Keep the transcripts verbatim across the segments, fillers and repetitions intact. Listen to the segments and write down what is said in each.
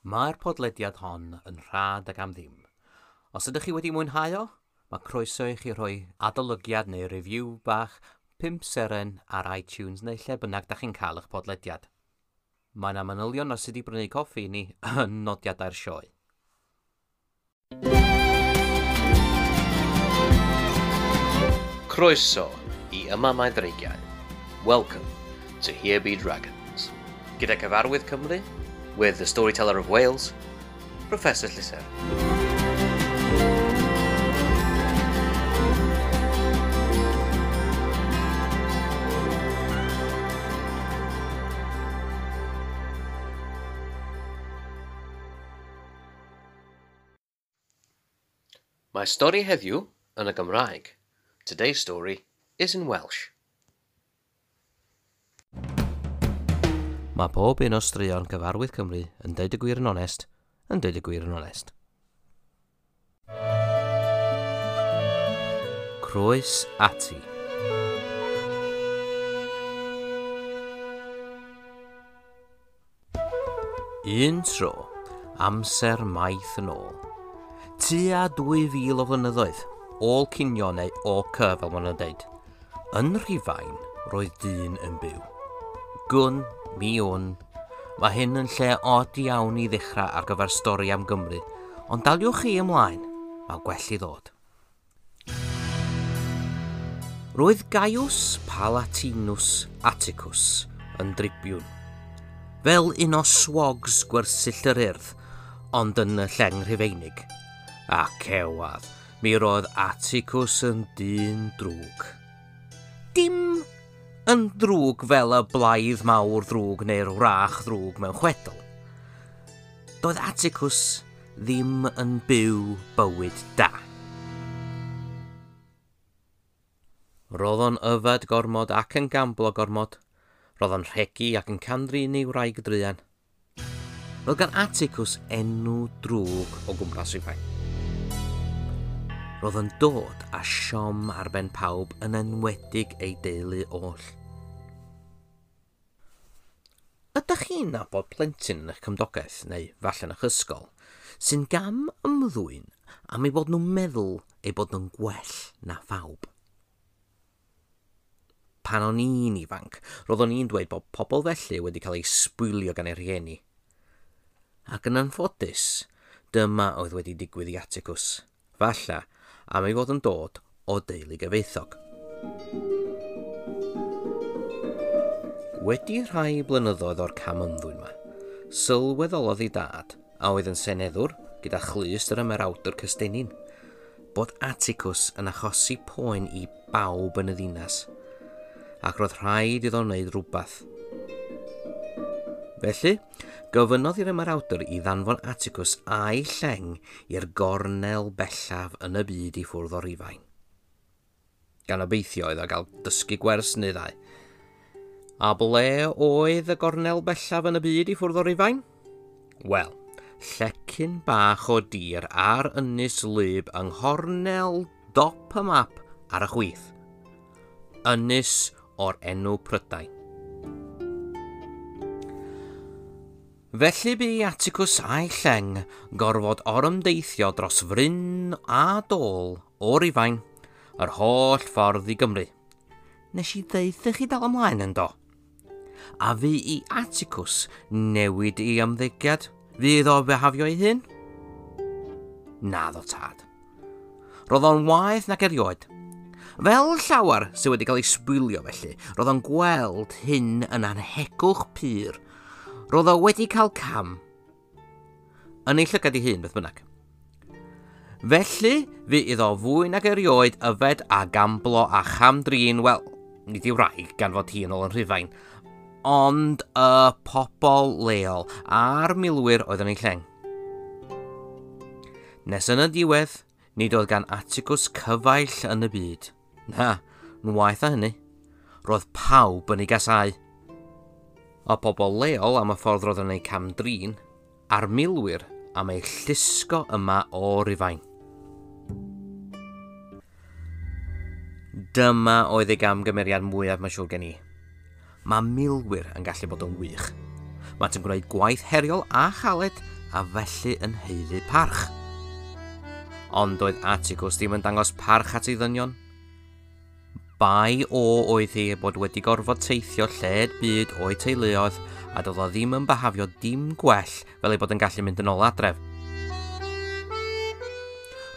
Mae'r podlediad hon yn rhad ac am ddim. Os ydych chi wedi mwynhau o, mae croeso i chi rhoi adolygiad neu review bach pump seren ar iTunes neu lle bynnag da chi'n cael eich podlediad. Mae yna manylion ar sut i brynu coffi i ni yn nodiadau'r sioe. Croeso i Yma Mae Dreigiau. Welcome to Here Be Dragons. Gyda Cyfarwydd Cymru, with the Storyteller of Wales, Professor Llyser. Mae stori heddiw yn y Gymraeg. Today's story is in Welsh. Mae pob un o straeon Cyfarwydd Cymru yn deud y gwir yn onest, yn deud y gwir yn onest. Croes ati. Un tro, amser maith yn ôl. Tua dwy fil o flynyddoedd, ôl cinio neu O C fel maen nhw'n deud. Yn Rhufain, roedd dyn yn byw. Gwn, mi wn. Mae hyn yn lle od iawn i ddechrau ar gyfer stori am Gymru, ond daliwch chi ymlaen, mae gwell i ddod. Roedd Gaius Palatinus Atticus yn dribiwn, fel un o swogs gwersyll yr Urdd, ond yn y lleng Rhufeinig. A cewadd, mi roedd Atticus yn dyn drwg. Dim yn drwg fel y blaidd mawr ddrwg neu'r wrach ddrwg mewn chwedl. Doedd Atticus ddim yn byw bywyd da. Roedd o'n yfed gormod ac yn gamblo gormod. Roedd o'n rhegi ac yn cam-drin ei wraig druan. Roedd gan Atticus enw drwg o gwmpas Rhufain. Roedd yn dod â siom ar ben pawb yn enwedig ei deulu oll. Ydych chi'n nabod plentyn yn eich cymdogaeth, neu falle yn eich ysgol, sy'n gam ymddwyn am eu bod nhw'n meddwl eu bod nhw'n gwell na phawb? Pan o'n i'n ifanc, roedd o'n i'n dweud bod pobl felly wedi cael eu sbwylio gan eu rhieni. Ac yn anffodus, dyma oedd wedi digwydd i Atticus, falle am ei fod yn dod o deulu gyfoethog. Wedi rhai blynyddoedd o'r cam ymddwyn yma, sylweddolodd ei dad, a oedd yn seneddwr gyda chlust yr ymerawdwr Cystennin, bod Atticus yn achosi poen i bawb yn y ddinas, ac roedd rhaid iddo wneud rhywbeth. Felly, gofynnodd i'r ymerawdwr i ddanfon Atticus a'i lleng i'r gornel bellaf yn y byd i ffwrdd o Rufain. Gan obeithio iddo gael dysgu gwers neu ddau. A ble oedd y gornel bellaf yn y byd i ffwrdd o Rufain? Wel, llecyn bach o dir ar ynys wlyb yng nghornel dop y map ar y chwith. Ynys o'r enw Prydain. Felly bu i Atticus a'i lleng gorfod orymdeithio dros fryn a dôl o Rufain yr holl ffordd i Gymru. Nes i ddeutha chi dal ymlaen yn do. A fu i Atticus newid ei ymddygiad? Fu iddo bihafio ei hun? Naddo tad. Roedd o'n waeth nag erioed. Fel llawer sydd wedi cael ei sbwylio felly, roedd o'n gweld hyn yn anhegwch pur. Roedd o wedi cael cam yn ei llygad ei hun, beth bynnag. Felly, fu iddo fwy nag erioed yfed a gamblo a cham-drin, wel, nid ei wraig gan fod hi yn ôl yn Rhufain, ond y pobl leol a'r milwyr oedd yn ei lleng. Nes yn y diwedd, nid oedd gan Atticus cyfaill yn y byd. Na, yn waeth na hynny. Roedd pawb yn ei gasáu. Y pobl leol am y ffordd roedd yn ei cam-drin, a'r milwyr am ei llusgo yma o Rufain. Dyma oedd ei gamgymeriad mwyaf mae'n siŵr gen i. Mae milwyr yn gallu bod yn wych. Maent yn gwneud gwaith heriol a chaled a felly yn haeddu parch. Ond doedd Atticus ddim yn dangos parch at ei ddynion. Bai o oedd hi bod wedi gorfod teithio lled byd o'i teuluoedd a doedd o ddim yn byhafio dim gwell fel ei bod yn gallu mynd yn ôl adref.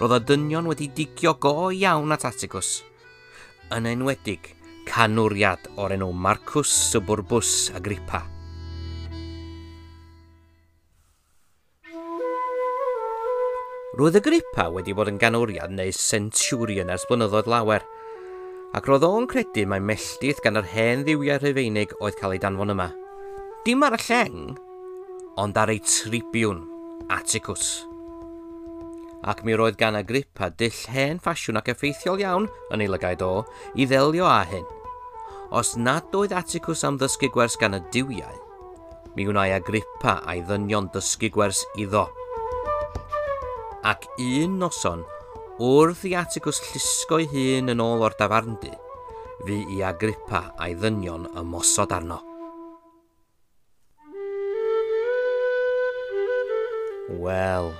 Roedd y dynion wedi digio go iawn at Atticus, yn enwedig canwriad o'r enw Marcus Suburbus Agrippa. Roedd Agrippa wedi bod yn ganwriad neu centurion ers blynyddoedd lawer, ac roedd o'n credu mai melltith gan yr hen dduwiau Rhufeinig oedd cael ei danfon yma. Dim ar y lleng, ond ar ei tribiwn, Atticus. Ac mi roedd gan Agrippa dull hen ffasiwn ac effeithiol iawn yn ei lygaid o i ddelio â hyn. Os nad oedd Atticus am ddysgu gwers gan y duwiau, mi wnai Agrippa a'i ddynion dysgu gwers iddo. Ac un noson, wrth i Atticus llusgo'i hun yn ôl o'r dafarndy, fu i Agrippa a'i ddynion ymosod arno. Wel,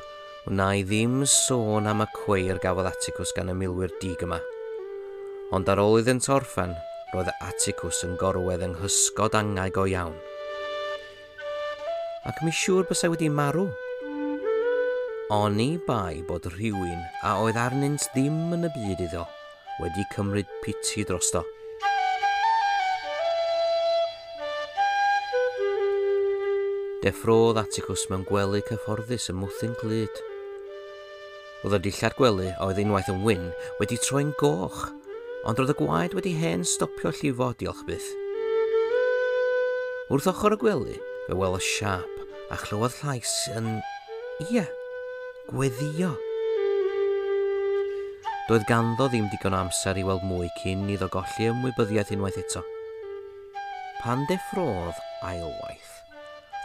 wna i ddim sôn am y cweir gafodd Atticus gan y milwyr dig yma. Ond ar ôl iddynt orffen, roedd Atticus yn gorwedd yng nghysgod angau go iawn. Ac mi siŵr bysai wedi marw. Oni bai bod rhywun a oedd arnynt ddim yn y byd iddo wedi cymryd piti drosto. Deffrodd Atticus mewn gwely cyfforddus ym mwthyn clyd. Roedd y dillad gwely a oedd unwaith yn wyn wedi troi'n goch, ond roedd y gwaed wedi hen stopio llifo, diolch byth. Wrth ochr y gwely, fe welodd siâp a chlywodd llais yn... ia, gweddio. Doedd ganddo ddim digon o amser i weld mwy cyn iddo golli ymwybyddiaeth unwaith eto. Pan deffrodd ailwaith,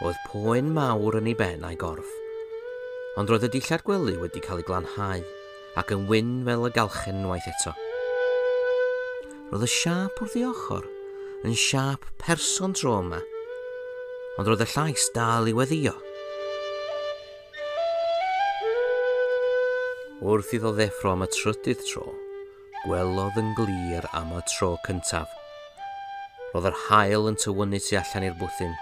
roedd poen mawr yn ei ben a'i gorff, ond roedd y dillad gwely wedi cael ei glanhau ac yn wyn fel y galchen unwaith eto. Roedd y siâp wrth ei ochr yn siâp person tro yma, ond roedd y llais dal i weddio. Wrth iddo ddeffro am y trydydd tro, gwelodd yn glir am y tro cyntaf. Roedd yr haul yn tywynnu tu allan i'r bwthyn,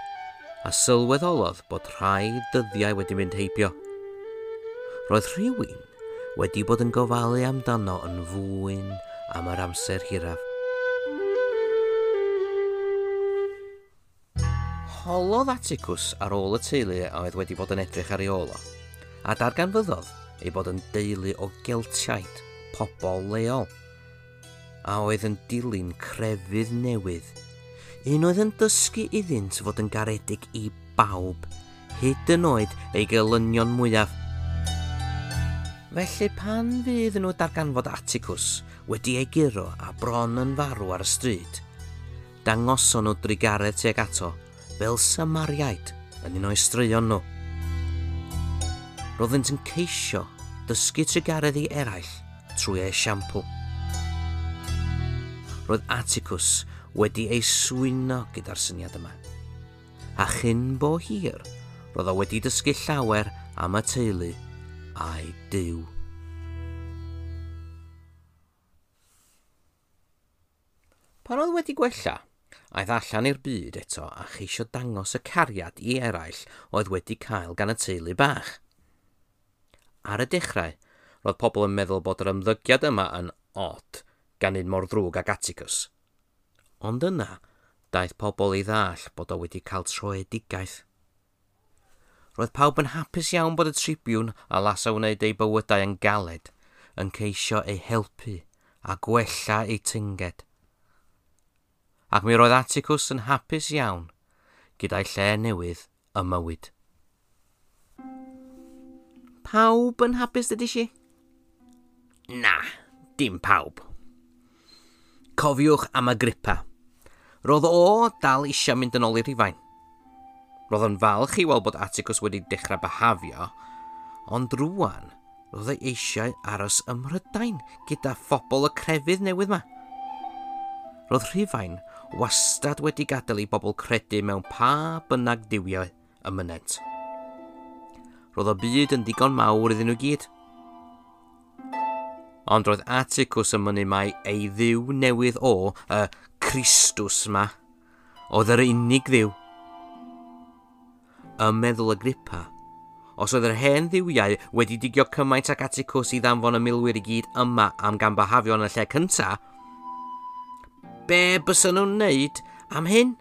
a sylweddolodd bod rhai dyddiau wedi mynd heibio. Roedd rhywun wedi bod yn gofalu amdano yn fwyn am yr amser hiraf. Holodd Atticus ar ôl y teulu a oedd wedi bod yn edrych ar ei ôl o, a darganfyddodd ei bod yn deulu o Geltiaid, pobl leol, a oedd yn dilyn crefydd newydd, un oedd yn dysgu iddynt fod yn garedig i bawb, hyd yn oed ei gelynion mwyaf. Felly pan fydd nhw darganfod Atticus wedi ei guro a bron yn farw ar y stryd, dangoson nhw drugaredd tuag ato fel Samariaid yn un o'i straeon nhw. Roeddynt yn ceisio dysgu trugaredd i eraill trwy esiampl. Roedd Atticus wedi ei swyno gyda'r syniad yma. A chyn bo hir, roedd o wedi dysgu llawer am y teulu a'i Duw. Pan oedd wedi gwella, aeth allan i'r byd eto a cheisio dangos y cariad i eraill oedd wedi cael gan y teulu bach. Ar y dechrau, roedd pobl yn meddwl bod yr ymddygiad yma yn od gan un mor ddrwg ag Atticus. Ond yna, daeth pobl i ddall bod o wedi cael troedigaeth. Roedd pawb yn hapus iawn bod y tribiwn a lasa wneud eu bywydau yn galed, yn ceisio eu helpu a gwella eu tynged. Ac mi roedd Atticus yn hapus iawn gyda'i lle newydd ym mywyd. Pawb yn hapus, dydych chi? Na, dim pawb. Cofiwch am Agrippa. Roedd o dal eisiau mynd yn ôl i Rufain. Roedd yn falch i weld bod Atticus wedi dechrau byhafio, ond rŵan roedd ei eisiau aros ym Mhrydain gyda phobl y crefydd newydd yma. Roedd Rhufain wastad wedi gadael i bobl credu mewn pa bynnag duwiau y mynent. Roedd y byd yn ddigon mawr iddyn nhw gyd. Ond roedd Atticus yn mynnu mai ei dduw newydd o, y Christus ma, oedd yr unig dduw. Ym meddwl Agrippa, os oedd yr hen dduwiau wedi digio cymaint ag Atticus i ddanfon y milwyr i gyd yma am gambahafio yn y lle cynta, be bysa nhw'n wneud am hyn?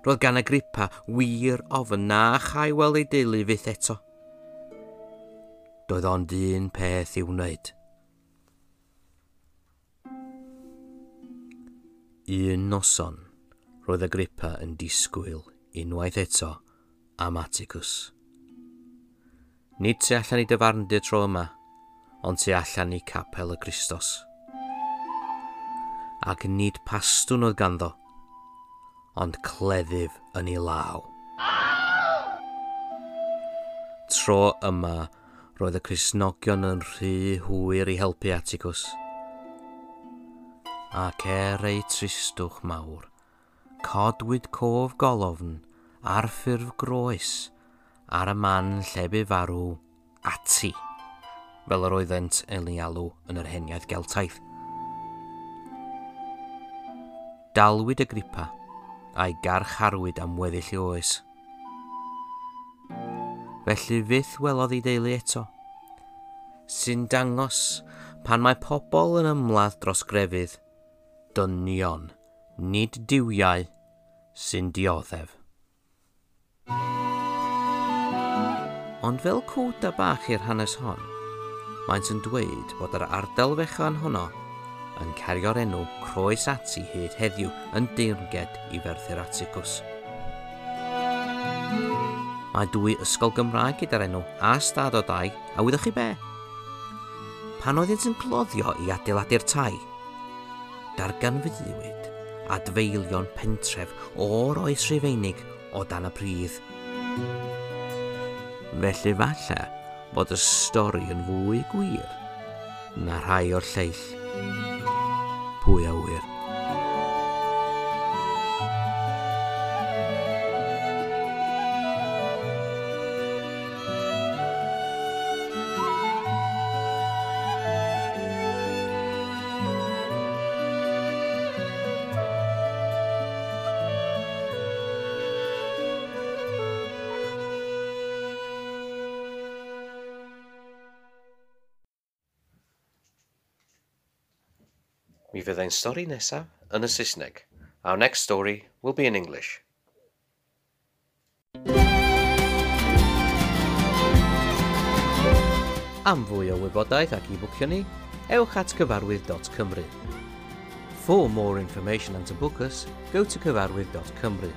Roedd gan Agrippa wir ofn na chai weld ei deulu fyth eto. Doedd ond un peth i'w wneud. Un noson, roedd Agrippa yn disgwyl unwaith eto am Atticus. Nid tu allan i dafarndy tro yma, ond tu allan i capel y Christos. Ac nid pastwn oedd ganddo, ond cleddyf yn ei law. Tro yma, roedd y Cristnogion yn rhy hwyr i helpu Atticus. Ac er eu tristwch mawr, codwyd cof golofn ar ffurf groes ar y man lle bu farw Ati, fel yr oeddent yn ei alw yn yr heniaith Geltaidd. Dalwyd Agrippa a'i garcharwyd am weddill ei oes. Felly fyth welodd ei deulu eto, sy'n dangos pan mae pobl yn ymladd dros grefydd, dynion, nid duwiau, sy'n dioddef. Ond fel cwta bach i'r hanes hon, maent yn dweud bod yr ardal fechan honno yn cario'r enw Croes Ati hyd heddiw yn deyrnged i Ferthyr Atticus. Mae dwy ysgol Gymraeg gyda'r enw a stad o dai, a wyddoch chi be? Pan oeddynt yn cloddio i adeiladu'r tai, darganfyddiwyd adfeilion pentref o'r oes Rhufeinig o dan y pridd. Felly falle bod y stori yn fwy gwir na rhai o'r lleill. Pwy a ŵyr? Mi fydd ein stori nesaf yn y Saesneg. Our next story will be in English. Am fwy o wybodaeth ac i bwcio ni, ewch at cyfarwydd dot cymru. For more information and to book us, go to cyfarwydd dot cymru.